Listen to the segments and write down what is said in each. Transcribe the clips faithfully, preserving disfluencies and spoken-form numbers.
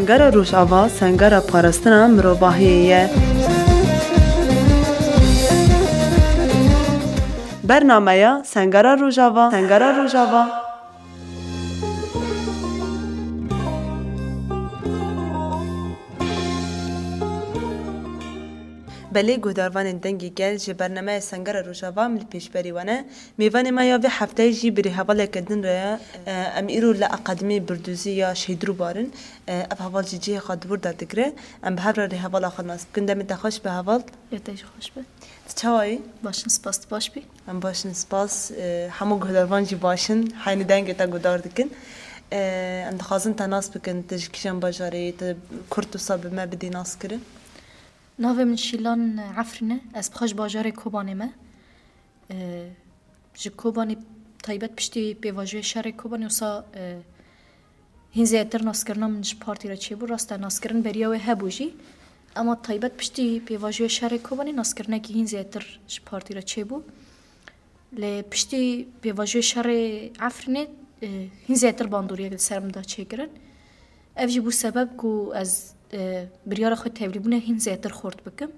Sengera Rojava, sengera parastina mirovahiyê ye. Bernameya Sengera Rojava, Sengera Rojava. Belê guhdarvanên Dengê Gel, ji bernameya Sengera Rojava em li pêşberî we ne. Mêvanê me ya vê hefteyê jî bi rêhevaleke din re ye. Em îro li Akademiyê Birdûzî ya Şehîd Rûbar in. Ev heval jî cihê xwe di wir de digire. Em bi hev re rêhevala xwe nas bikin. Demê te xweş be heval. Ya te jî xweş be. Tu çawa yî? Baş in, spas, tu baş bî? Em baş in, spas. Hemû guhdarvan jî baş in. Heynî dengê te guhdar dikin. Em dixwazin te nas bikin. Tu ji kîjan bajarê yî? Tu kurt wisa bi me bidî nas kirin? Navê min Şîlan Efrîn e. Ez bi xwe ji bajarê Kobanê me. E, ji Kobanê taybet piştî pêvajoyê şerê Kobanê wisa, e, hîn zêdetir naskirina min ji partî re çêbû. Rast e, naskirin beriya wê hebû jî. Ema taybet piştî pêvajoyê şerê Kobanê naskirinekî hîn zêdetir ji partî re çêbû. Lê piştî pêvajoyê şerê Efrînê, e, hîn zêdetir bandoriyek li ser min da çêkirin. Ev jî bû sebeb ku ez, e, biryara xwe tevlîbûnê hîn zêdetir xurt bikim.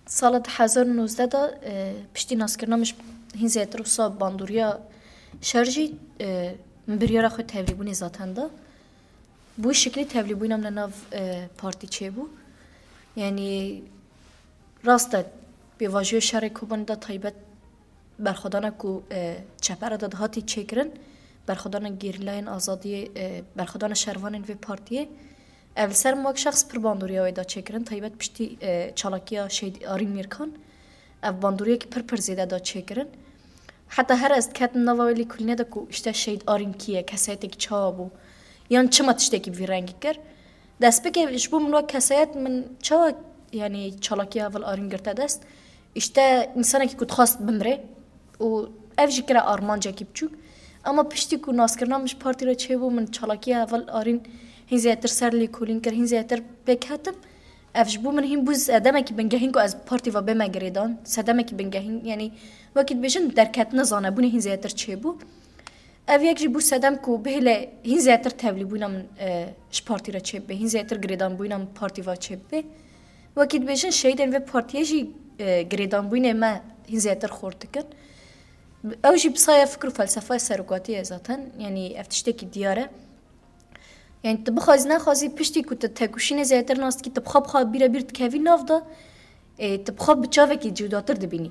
Sala du hezar û nozdeh de, e, piştî naskirina min ji hîn zêdetir wisa bandoriya şer jî, e, min biryara xwe tevlîbûnê zaten da. Bi wî şiklî tevlîbûna min li nav, e, partî çêbû. Yanî rast e, pêvajoyê şerê Kobanê de taybet berxwedana ku, e, çepere de dihatî çêkirin, berxwedana gerîlayên azadiyê, e, berxwedana şervanên vê partiyê, ev li ser min wek şexs pir bandoriya wê da çêkirin, taybet piştî, e, çalakiya Şehîd Arîn Mîrkan, ev bandoriyekî pir pir zêde da çêkirin. Heta her ez diketim nava wê lêkolînê de ku işte Şehîd Arîn kî ye, kesayetekî çawa bû, yan çima tiştekî bi vî rengî kir. Destpêkê ji bo min wek kesayet min çawa, yanî çalakiya heval Arîn girte dest? İşte însanekî ku dixwest bimire û ev jî kire armancekî biçûk. Ema piştî ku naskirina min ji partî re çêbû, min çalakiya heval Arîn hîn zêdetir ser lêkolîn kir, hîn zêdetir pêk hatim. Ev ji bo min hîn bû sedemekî bingehîn ku ez partî ve bême girêdan. Sedemekî bingehîn, yanî wekî dibêjin derketina zanebûnê hîn zêdetir çêbû. Ev yek jî bû sedem ku bihêle hîn zêdetir tevlîbûna min, e, ji partî re çêbibe, hîn zêdetir girêdanbûna min partî ve çêbibe. Wekî dibêjin şehîdên vê partiyê jî, e, girêdanbûnê me hîn zêdetir xurt dikin. Ew jî bi saya fikr û felsefeya serokatî ye zaten. Yanî ev tiştekî diyar e. Yanî tu bixwazî nexwazî piştî ku tu tekoşînê zêdetir nas dikî, tu bi xwe bi xwe bîre bîr dikevî nav de, ê, tu bi xwe bi çavekî cudatir dibînî.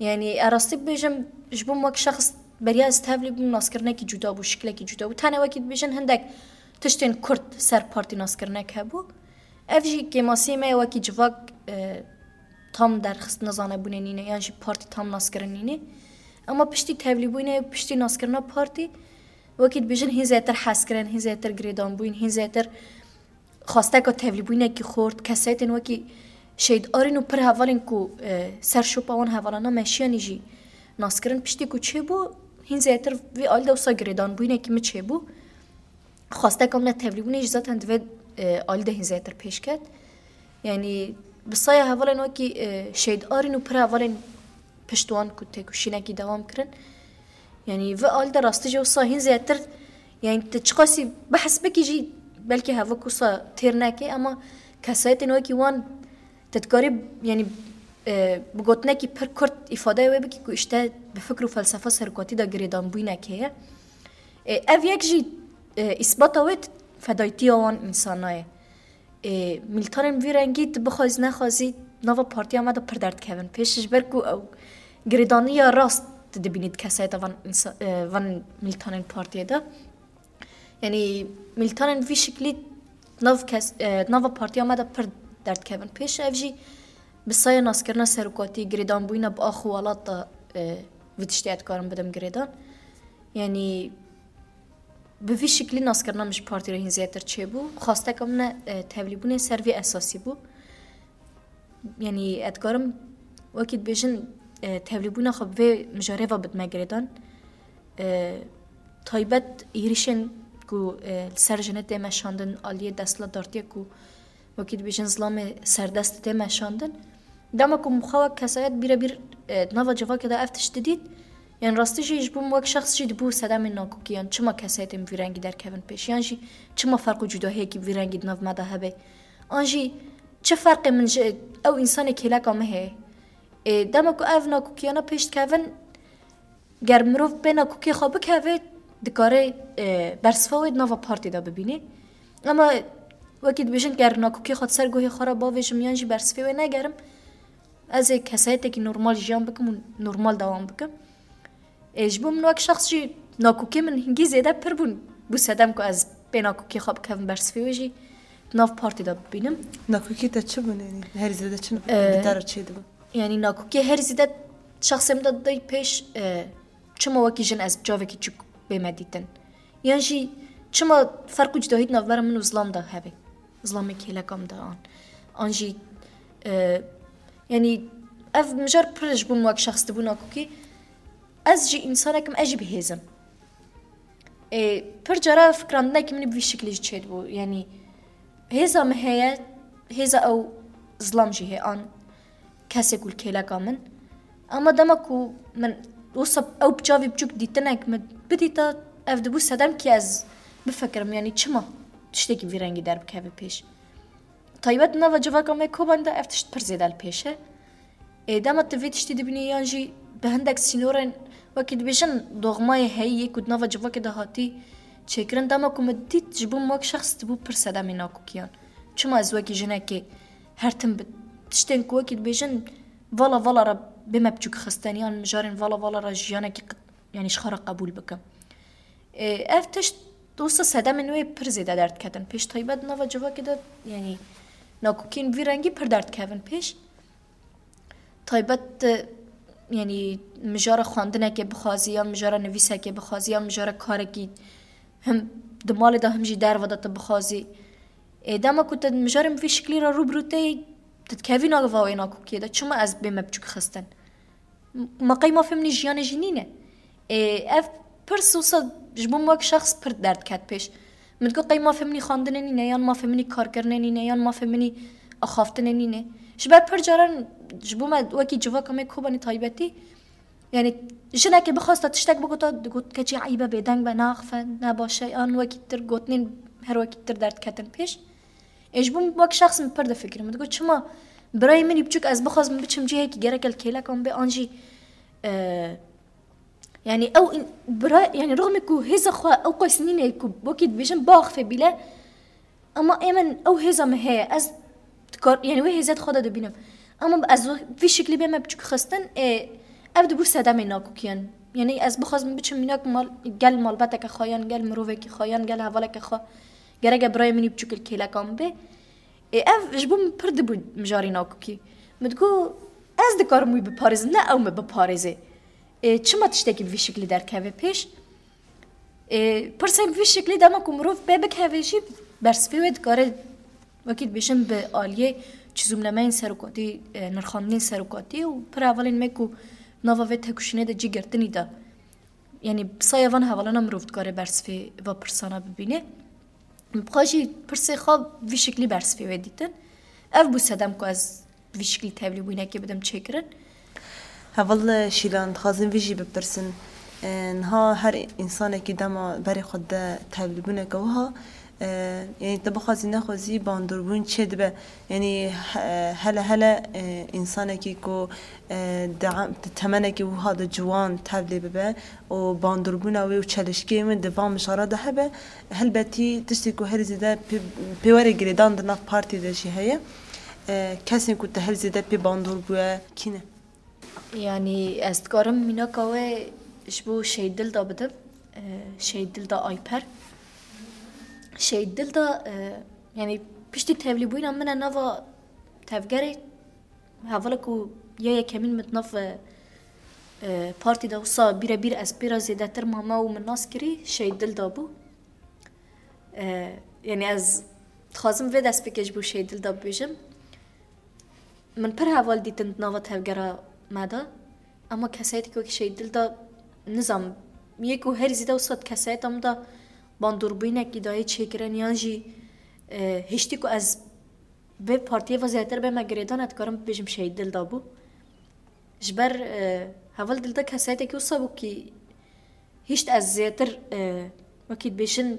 Yanî ez rastî bibêjim, ji bo min wek şexs beriya ez tevlî bûm, naskirinekî cuda bû, şiklekî cuda bû. Tenê wekî dibêjin hindek tiştên kurt ser partî naskirinek hebû. Ev jî kêmasiyê me ye wekî civak, e, tam derxistina zanebûnê nîne, yan jî partî tam naskirin nîne. Ema piştî tevlîbûnê, piştî naskirina partî, wekî dibêjin hîn zêdetir hezkirin, hîn zêdetir girêdanbûn, hîn zêdetir xwasteka tevlîbûnekî xurt, kesayetên wekî Şehîd Arîn û pir hevalên ku, e, ser şopa wan hevalana meşiyanî jî naskirin. Piştî ku çêbû, hîn zêdetir vî alî de wisa girêdanbûnekî min çêbû. Xwasteka min e tevlîbûnê jî zaten di vê, e, alî de hîn zêdetir pêş ket. Yanî bi saya hevalên wekî, e, Şehîd Arîn û pir hevalên pişt wan ku têkoşînekî dewam kirin. Yanî vê alî de rastî jî wisa hîn zêdetir, yanî tu çiqasî behs bikî jî belkî hevok wisa têr neke, ema kesayetên wekî wan tu dikarî, yanî, e, bi gotinekî pir kurt îfadeyê wê bikî ku işte bi fikr û felsefa serokatî de girêdanbûyinekê ye. E, ev yek jî, e, îsbata wê fedayîtiya wan însana ye. Ê, milîtanên vî rengî tu bixwazî nexwazî nava partiya me de pir derdikevin pêş, ji ber ku ew girêdaniya rast tu dibînî di kesayeta van însa-, e, van milîtanên partiyê de. Yanî milîtanên vî şiklî nav kes-, e, nava partiya me de pir derdikevin pêş. Ev jî bi saya naskirina serokatî, girêdanbûyîna bi ax û welat de, e, vî tiştê ez dikarim bidim girêdan. Yanî Bi vî şiklî naskirina min ji partî re hîn zêdetir çêbû. Xwasteka min e, tevlîbûnê ser vî esasî bû. Yanî ez dikarim wekî dibêjin, e, tevlîbûna xwe bi vê mijarê ve bidime girêdan. E, taybet êrîşên ku, e, li ser jinê tê meşandin, aliyê desthilatdartiyê ku wekî dibêjin zilamê serdest tê meşandin. Dema ku min xwe wek kesayet bîre bîr, e, di nava civakê de ev tişt didît, Yan rastî jî ji bo min wek şexs jî dibû sedemên nakokî, yan çima kesayetên vî rengî derkevin pêş, yan jî çima ferq û cudahiyekî vî rengî di nav me de hebe? An jî çi ferqê min ji ew însanê kêleka min heye? Ê, dema ku ev nakokiyana pêş dikevin, ger mirov pê nakokiyê xwe bikeve, dikare, e, bersiva wê di nava partî de bibîne. Ema wekî dibêjin, ger nakokiyê xwe di ser guhê xwe re bavêjim yan jî bersivê wê negerim, ez ê kesayetekî normal jiyan bikim û normal dewam bikim. Ê, ji bo min wek şexs jî nakokê min hingî zêde pir bûn. Bû sedem ku ez pê nakokê xwe bikevim bersivê wê jî di nav partî de bibînim. Nakokê te çi bûn, yanî herî zêde çi Ee, bi te re çêdibû? Yanî nakokê herî zêde şexsê min de didayî pêş, e, çima wekî jin ez bi çavekî çûk bême dîtin? Yan jî çima ferq û cudahî di navbera min û zilam de hebe? Zilamê kêleka min de an. An jî, e, yanî ev mijar pir ji bo min wek şexs dibû nakokî. Ez jî însanek im, ez jî bi hêz im. Ê, pir cara fikrandinekî min ê bi vî şiklî jî çêdibû. Yanî hêza min heye, hêza ew zilam jî heye an kesê ku li kêleka min. Ema dema ku min wisa ew bi çavê biçûk dîtinek min bidîta, ev dibû sedem ki ez bifikirim, yanî çima tiştekî vî rengî derbikeve pêş. Taybet nava civaka me Kobanî de ev tişt pir zêde li pêş e. Ê, dema tu vê tiştî dibînî yan jî bi hindek sînorên wekî dibêjin doxmayê heyî yê ku di nava civakê de hatî çêkirin, dema ku min dît ji bo min wek şexs dibû pir sedemê nakokiyan. Çima ez wekî jinekê her tim bi tiştên ku wekî dibêjin vala vala re bême biçûk xistin yan mijarên vala vala re jiyanekî qi-, yanî ji xwe re qebûl bikim? Ê, ev tişt dosa sedemên wê pir zêde derdiketin pêş, taybet nava civakê de, yanî nakokên vî rengî pir derdikevin pêş. Taybet, e, yanî mijara xwendinekê bixwazî, yan mijara nivîsekê bixwazî, yan mijara karekî him di malê de him jî derve de tu bixwazî. Ê, dema ku tu mijarên vî şiklî re rû bi rû tê, tu dikevî nava wê nakokiyê de. Çima ez bême biçûk xistin? Ma qey mafê min î jiyanê jî nîne? Ê, ev pirs wisa ji bo min wek şexs pir derd ket pêş. Min digot qey mafê min î xwendinê nîne, yan mafê min î karkirinê nîne, yan mafê min î axaftinê nîne. Ji ber pir caran ji bo me wekî civaka me Kobanî taybetî, yanî jinekê bixwasta tiştek bigota, digot keçê eybe, bêdeng be, neaxife, ne baş e, yan wekî tir gotinên her wekî tir derdketin pêş. Ê, ji bo min wek şexs min pir difikirim. Min digot, çima birayê min î biçûk ez bixwazim biçim cihekî gerek e li kêleka min bê, an jî, e, yanî ew în-, bira, yanî rixmê ku hêza xwe ew qas nîne ku wekî dibêjin biaxife bîle, ema ê min ew hêza min heye, ez dikar, yanî wê hêzet xwe de dibînim. Ema ez vî şiklî bême biçûk xistin, ê, ev dibû sedemê nakokiyan. Yanî ez bixwazim biçim mînak mal, gel malbeteke xwe, yan gel mirovekî xwe, yan gel hevaleke xwe. Gereke birayê min î biçûk li kêleka min bê. Ê, ev ji bo min pir dibû mijarê nakokî. Min digot, ez dikarim wî biparêzim, ne ew min biparêze. Ê, çima tiştekî bi vî şiklî derkeve pêş? Ê, pirsên bi vî şiklî dema ku mirov pê bikeve jî bersivê wê dikare, wekî dibêjin, bi aliyê çizûmnameyên serokatî, e, nirxandinên serokatî û pir hevalên me ku nava vê têkoşînê de cî girtinî de. Yanî bi saya van hevalana mirov dikare bersivê va pirsana bibîne. Bi xwe jî pirsê xwe vî şiklî bersivê wê dîtin. Ev bû sedem ku ez vî şiklî tevlîbûyînekê bidim çêkirin. Heval Şîlan, dixwazin vî jî bipirsin. E, niha her însanekî dema berê xwe dide tevlîbûneke wiha, e, yanî tu bixwazî nexwazî bandoribûn çêdibe. Yanî he-, hele hele, e, însanekî ku, e, di em-, di temenekî wiha de ciwan tevlê bibe û bandoribûna wê û çelişkiyên wê di van mijara de hebe, helbetî tiştê ku herî zêde pê-, pêwerê girêdan di nav partî de jî heye. E, kesên ku te herî zêde pê bandor bûye kî ne? Yanî ez dikarim mînaka wê ji bo Şehîd Dilda bidim. E, Şehîd Dilda Ayper. Şehîd Dilda, e, yanî piştî tevlîbûyîna min e nava tevgerê, hevala ku ya yekemîn min di nav, e, e, partî de wisa bîrebîr ez pê re zêdetir mame û min nas kirî, Şehîd Dilda bû. E, yanî ez dixwazim vê destpêkê ji bo Şehîd Dilda bibêjim. Min pir heval dîtin di nava tevgera me de. Ema kesayeteke wekî Şehîd Dilda, nizam, yê ku herî zêde wisa di kesayeta min de bandorbûyînekî dayê çêkirin yan jî, e, hiştî ku ez vê partiyê ve zêdetir bême girêdan, ez dikarim bibêjim Şehîd Dilda bû. Ji ber, e, Heval dilda kesayeteke wisa bû kî hişt ez zêtir, e, wekî dibêjin,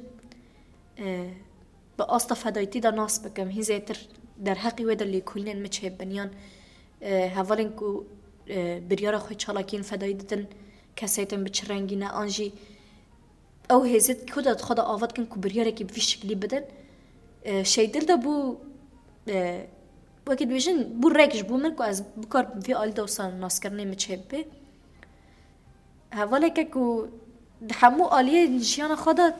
e, bi asta fedayîtî de nas bikim, hîn zêtir derheqî wê de lêkolînên min çêbin, yan, e, hevalên ku, e, biryara xwe çalakiyên fedayî didin, kesayetên bi çi rengî ne, an jî ew hêzê ku de xwe de ava dikin ku biryarekî bi vî şiklî bidin. E, Şeydil de bû, e, wekî dibêjin, bû rek ji bo min ku ez bikarim vî alî de wisa naskirinê min çêbibe. Hevaleke ku di hemû aliyên jiyana xwe de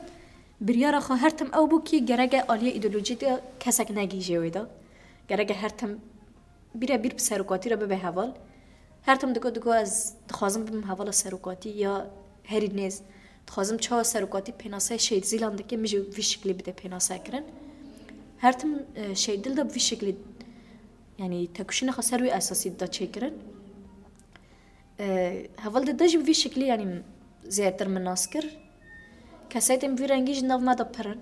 biryara xwe her tim ew bû kî gereke aliyê îdeolojî de kesek negihîje wê de. Gereke her tim birebîr bi serokatî re bibe heval. Her tim digo, digo ez dixwazim bibim hevala serokatî ya herî nêz. Dixwazim çawa serokatî pênaseyê Şehîd Zîlan dike, min jî vî şiklî bide pênasekirin. Her tim, e, Şehîd Dil de bi vî şiklî, yanî tekoşîna xwe ser wî esasî dida çêkirin. E, heval dide jî bi vî şiklî, yanî zêdetir min nas kir. Kesayetên bi vî rengî jî nav me de pir in.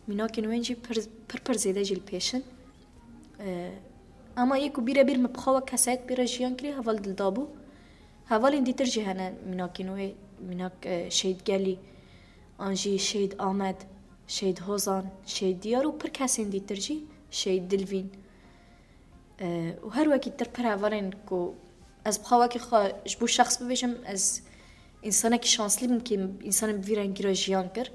Mînakên wên jî pir, pir, pir zêde jî li pêş in. E, ama yê ku bîrebîr min bi xwe wek kesayet pê re jiyan kiriye, heval Dilda bû. Hevalên dîtir jî hene mînakên wê, mînak, e, Şehîd Gelî, an jî Şehîd Amed, Şehîd Hozan, Şehîd Diyar û pir kesên dîtir jî, Şehîd Dilvîn. E, û her wekî tir pir hevalên ku ez bi xwe wekî xwe ji bo şexs bibêjim, ez însanekî şanslî bim kî însanên bi vî rengî re jiyan kir.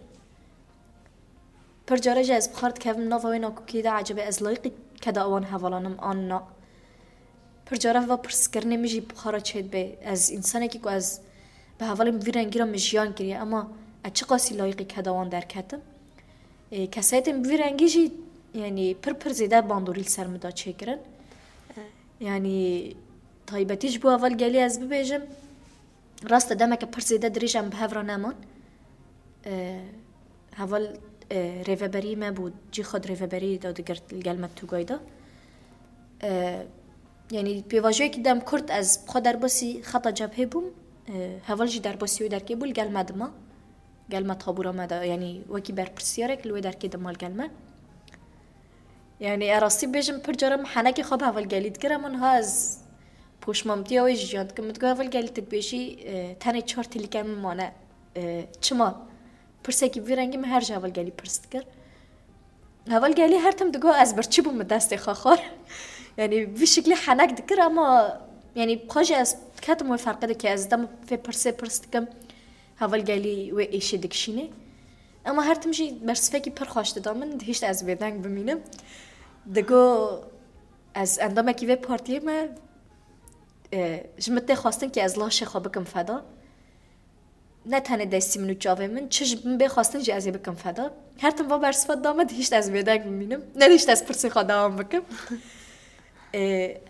Pir care jî ez bi xwe re dikevim nava wê nakokiyê de, ecebe ez layîqî keda wan hevalan im an na? Pir care va pirskirinê min jî bi xwe re çêdibe. Ez însanekî ku ez bi hevalên bi vî rengî re min jiyan kiriye, ema ez çiqasî layîqî keda wan derketim? Ê, kesayetên bi vî rengî jî, yanî pir pir zêde bandorî li ser min da çêkirin. Yanî taybetî ji bo heval Gelî ez bibêjim, rast e demeke pir zêde dirêj em bi hev re neman. Ê, heval, ê, rêveberî me bû, cî xwe di rêveberî de digirt li gel me Tugay de. Ê, yanî pêvajoyekî dem kurt ez bi xwe derbasî xeta cebhê bûm. Ê, heval jî derbasî wê derkê bû, li gel me dima. Gel me tabûra me de, yanî wekî berpirsiyarek li wê derkê dima li gel me. Yanî, e, rastî bêjim, pir cara min henekê xwe bi heval Gelî dikir, ema niha ez poşmamtiya wê jî jiyan dikim. Min digot, heval Gelî, tu dibêjî, e, tenê çar tilîkên min mane. E, çima? Pirsekî bi vî rengî min her ji heval Gelî pirs dikir. Heval Gelî her tim digot, ez birçî bûm, min destê xwe xwar. Yanî, vî şiklî henek dikir, ema, yanî, bi xwe jî ez diketim wê ferqê de kî ez dema vê pirsê pirs dikim. Heval Gelî wê êşê dikişînê. Ema her tim jî bersivekî pir xweş dida min, dihişt ez bêdeng bimînim. Digo, ez endamekî vê partiyê me, e, ji min tê xwestin kî ez laşê xwe bikim feda. Ne tenê destî min û çavê min, çi ji min bê xwestin jî ez ê bikim feda. Her tim va bersiva dida min, dihişt ez bêdeng bimînim. Nedihişt ez pirsê xwe dewam bikim. E,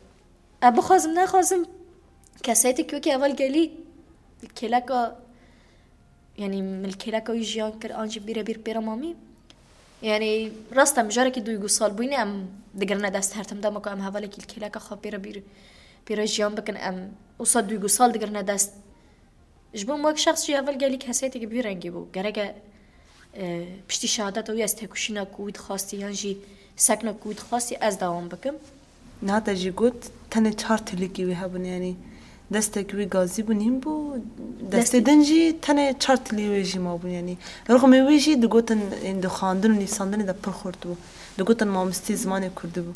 Ez bixwazim, nexwazim, kesayetê ku wekî heval Gelî li kêleka, yanî min li kêleka wî jiyan kir, an jî bîrebîr pê re mamî. Yanî rast e, mijarekî duygusal bûyînê em digirine dest her tim. Dema ku em hevalekî li kêleka xwe pê re bîr, pê re jiyan bikin, em wisa duygusal digirine dest. Ji bo min wek şexs jî heval Gelî kesayeteke bi vî rengî bû. Gereke, e, piştî şehadeta wî ez tekoşîna ku wî dixwastî yan jî sekna ku wî dixwastî ez dewam bikim. Niha te jî got, tenê çar tilîkî wî hebûn, yanî destek wî gazî bû, nîm bû, destê Destê din jî tenê çar tilî wê jî mabûn, yanî rixmê wê jî digotin, ên di xwendin û nivîsandinê de pir xurt bû. Digotin mamosteyê zimanê kurdî bû.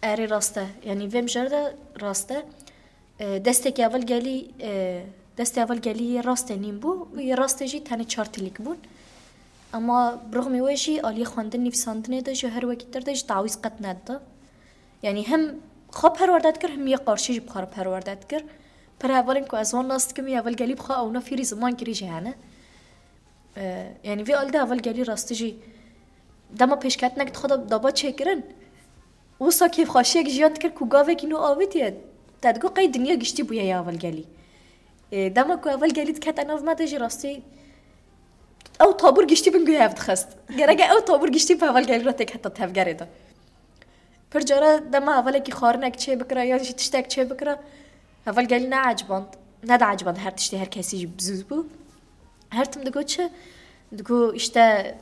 Erê, rast e. Yanî vê mijara de rast e. E, destekî heval Gelî, e, destê heval Gelî yê rastê nîm bû, yê rastê jî tenê çar tilîk bûn. Ema bi rixmê wê jî aliyê xwendin nivîsandinê de jî her wekî tir de jî tawîz qet nedida. Yanî hem xwe perwerde dikir, hem yê qarşî jî bi xwe re perwerde dikir. Pir hevalên ku ez wan nas dikim, yê heval Gelî bi xwe ewna fêrî ziman kirî jî hene. E, yanî vê alî de heval Gelî rastî jî dema pêşketinek dixwe da, daba çêkirin, wisa kêfxweşiyek jiyan dikir ku gavekî nû avêtiye. Te digot qey dinya giştî bûye ya heval Gelî. E, dema ku heval Gelî dikete nav me de jî rastî ew tabûr giştî bin guya hev dixist. Gereke ew tabûr giştî bi heval Gelî re têketa tevgerê de. Pir cara dema hevalekî xwarinek çê bikira yan jî tiştek çê bikira, heval Gelî ne eciband, ne de eciband her tiştê her kesî jî bizûz bû. Her tim digo çi? Digo, işte,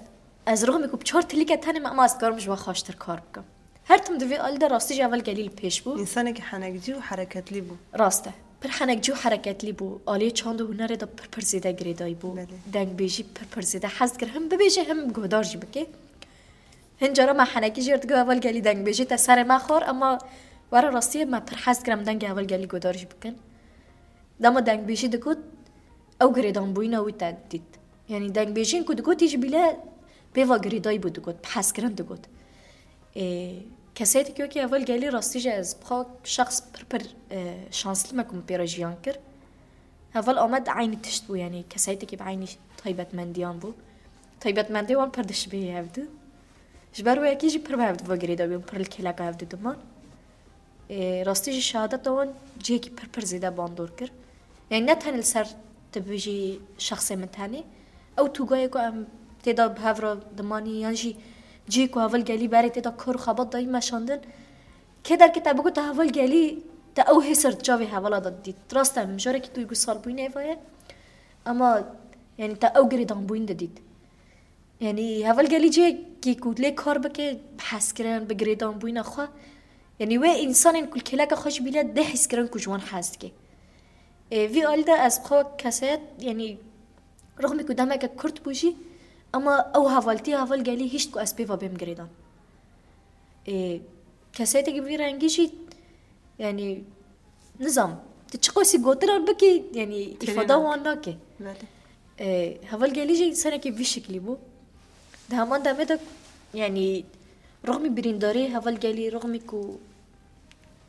ez rixmê ku bi çar tilîke tenê me, ema ez dikarim ji we xweştir kar bikim. Her tim di vê alî de rastî jî heval Gelî li pêş bû. Însanekî henekcî û hereketlî bû. Rast e. Pir henekcî û hereketlî bû. Aliyê çand û hunerê de pir pir zêde girêdayî bû. Belê. Dengbêjî pir pir zêde hez dikir. Him bibêje him guhdar jî bike. Hin cara me henekî jê re digot heval gelî dengbêjî te serê me xwar, ema were rastiyê me pir hez dikir em dengê heval gelî guhdar jî bikin. Dema dengbêjî digot, ew girêdanbûyîna wî te dît. Yanî dengbêjiyên ku digotî ji bîle pêva girêdayî bû digot, bi hezkirin digot. Ê, kesayetê ku wekî heval gelî rastî jî ez bi xwe şexs pir pir, e, şansli me ku min pê re jiyan kir. Heval Amed eynî tişt bû, yanî kesayetekî bi eynî taybetmendiyan bû. Taybetmendê wan pir dişibihî hevdu. Ji ber wê yekê jî pir bi hevdu ve girêdayî bûn, pir li kêleka hevdu diman. Ê, rastî jî şehadeta wan cihekî pir pir zêde bandor kir. Yanî ne tenê li ser tu bijî şexsê min tenê. Ew tûgayê ku em tê de bi hev re dimanî yan jî cihê ku heval gelî berê tê de kar û xebat dayî meşandin. Kê derkete bigot te heval gelî te ew hêsir di çavê hevala de didît. Rast e, mijarekî duygusal bûyînê eva ye. Ema yanî te ew girêdanbûyîn didît. Yanî heval gelî cihekî ku lê kar bike, bi hezkirin, bi girêdanbûyîna xwe. Yanî wê însanên ku li kêleka xwe jî bîle dê hîskirin ku ji wan hez dike. Ê, vî alî de ez bi xwe kesayet, yanî rixmî ku demeke kurt bû jî, ema ew hevaltiya heval gelî hişt ku ez pê ve bêm girêdan. Ê, kesayetekî bi vî rengî jî, yanî, nizam, tu çiqasî gotinan bikî, yanî, Têrê îfada nake. Wan nake. Belê. Ê, heval gelî jî însanekî vî şiklî bû. Di heman demê de, yanî, rixmî birîndarî heval gelî, rixmî ku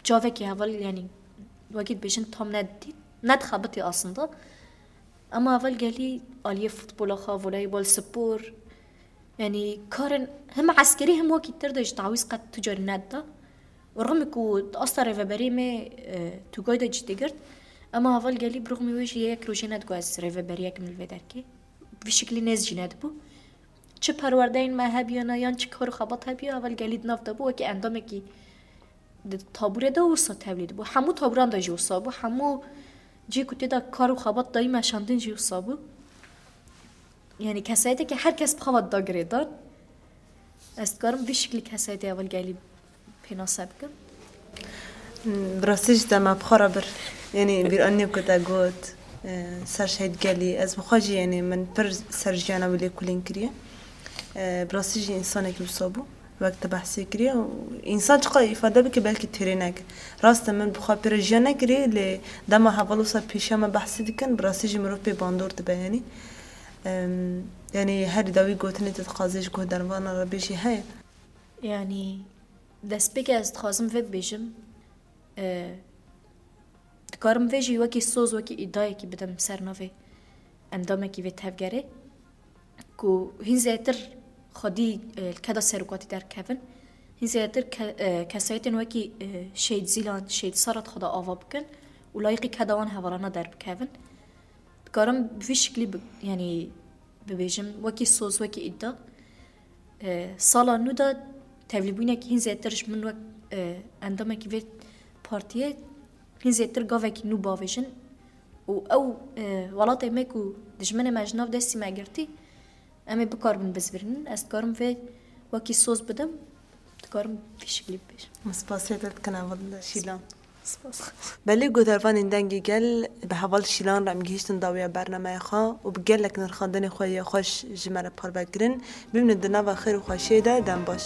çavekî heval, yanî, wekî dibêjin tam nedît, nedixebitî aslında. Ema heval gelî aliyê futbola xwe, voleybol, spor, yanî, karên him eskerî him wekî tir de ji tawîz qet tu carî nedida. Û rixmî ku di asta rêveberiyê me, e, tûgay de cî digirt. Ema heval gelî bi rixmî wê jî yek rojê nedigot ez rêveberiyek im li vê derkê. Vî şiklî nêz jî nedibû. Çi perwerdeyên me hebiyana yan çi kar û xebat hebiya, heval gelî di nav de bû, wekî endamekî di tabûrê de wisa tevlî dibû. Hemû tabûran de jî wisa bû. Hemû cihê ku tê de kar û xebat dayî meşandin jî wisa bû. Yanî kesayetekî her kes bi xwe ve dida girêdan. Ez dikarim vî şiklî kesayetê heval gelî pênase bikim. Bi rastî jî te me bi xwe re bir. Yanî bîranî ku te got, e, ser şehîd gelî, ez bi xwe jî, yanî min pir ser jiyana wî lêkolîn kiriye. E, bi rastî jî însanekî wisa bû, wek te behsê kiriye. Û însan çiqas îfade bike belkî têrê neke. Rast e, min bi xwe pê re jiyan nekiriye, lê dema heval wisa pêşiya me behsê dikin, bi rastî jî mirov pê bandor dibe, yanî. Em, yanî herî dawî gotinê tu dixwazê ji guhdarvanan re bêjî heye? Yanî destpêkê ez dixwazim vê bibêjim, e, dikarim vê jî wekî soz, wekî îdayekî bidim ser navê endamekî vê tevgerê, ku hîn zêtir xwedî, e, li keda serokatî derkevin. Hîn zêtir ke-, e, kesayetên wekî, e, Şehîd Zîlan, Şehîd Serhat xwe de ava bikin û layîqî keda wan hevalana derbikevin. Dikarim bi vî şiklî bi-, yanî bibêjim, wekî soz, wekî îda. E, sala nû de tevlîbûyînekî hîn zêtir ji min wek, e, endamekî vê partiyê hîn zêtir gavekî nû bavêjin û ew, e, welatê me ku dijminê me ji nav destî me girtî, em ê bikaribin bizvirînin. Ez dikarim vê wekî soz bidim, dikarim vî şiklî bibêjim. Min spasiya te dikin heval Şîlan. Spas. Belê guhdarvanên Dengê Gel, bi heval Şîlan re em gihîştin dawiya bernameya xwe û bi gelek nirxandinê xwe yê xweş ji me re parve kirin. Bimînin di nava xêr û xweşiyê de, dem baş.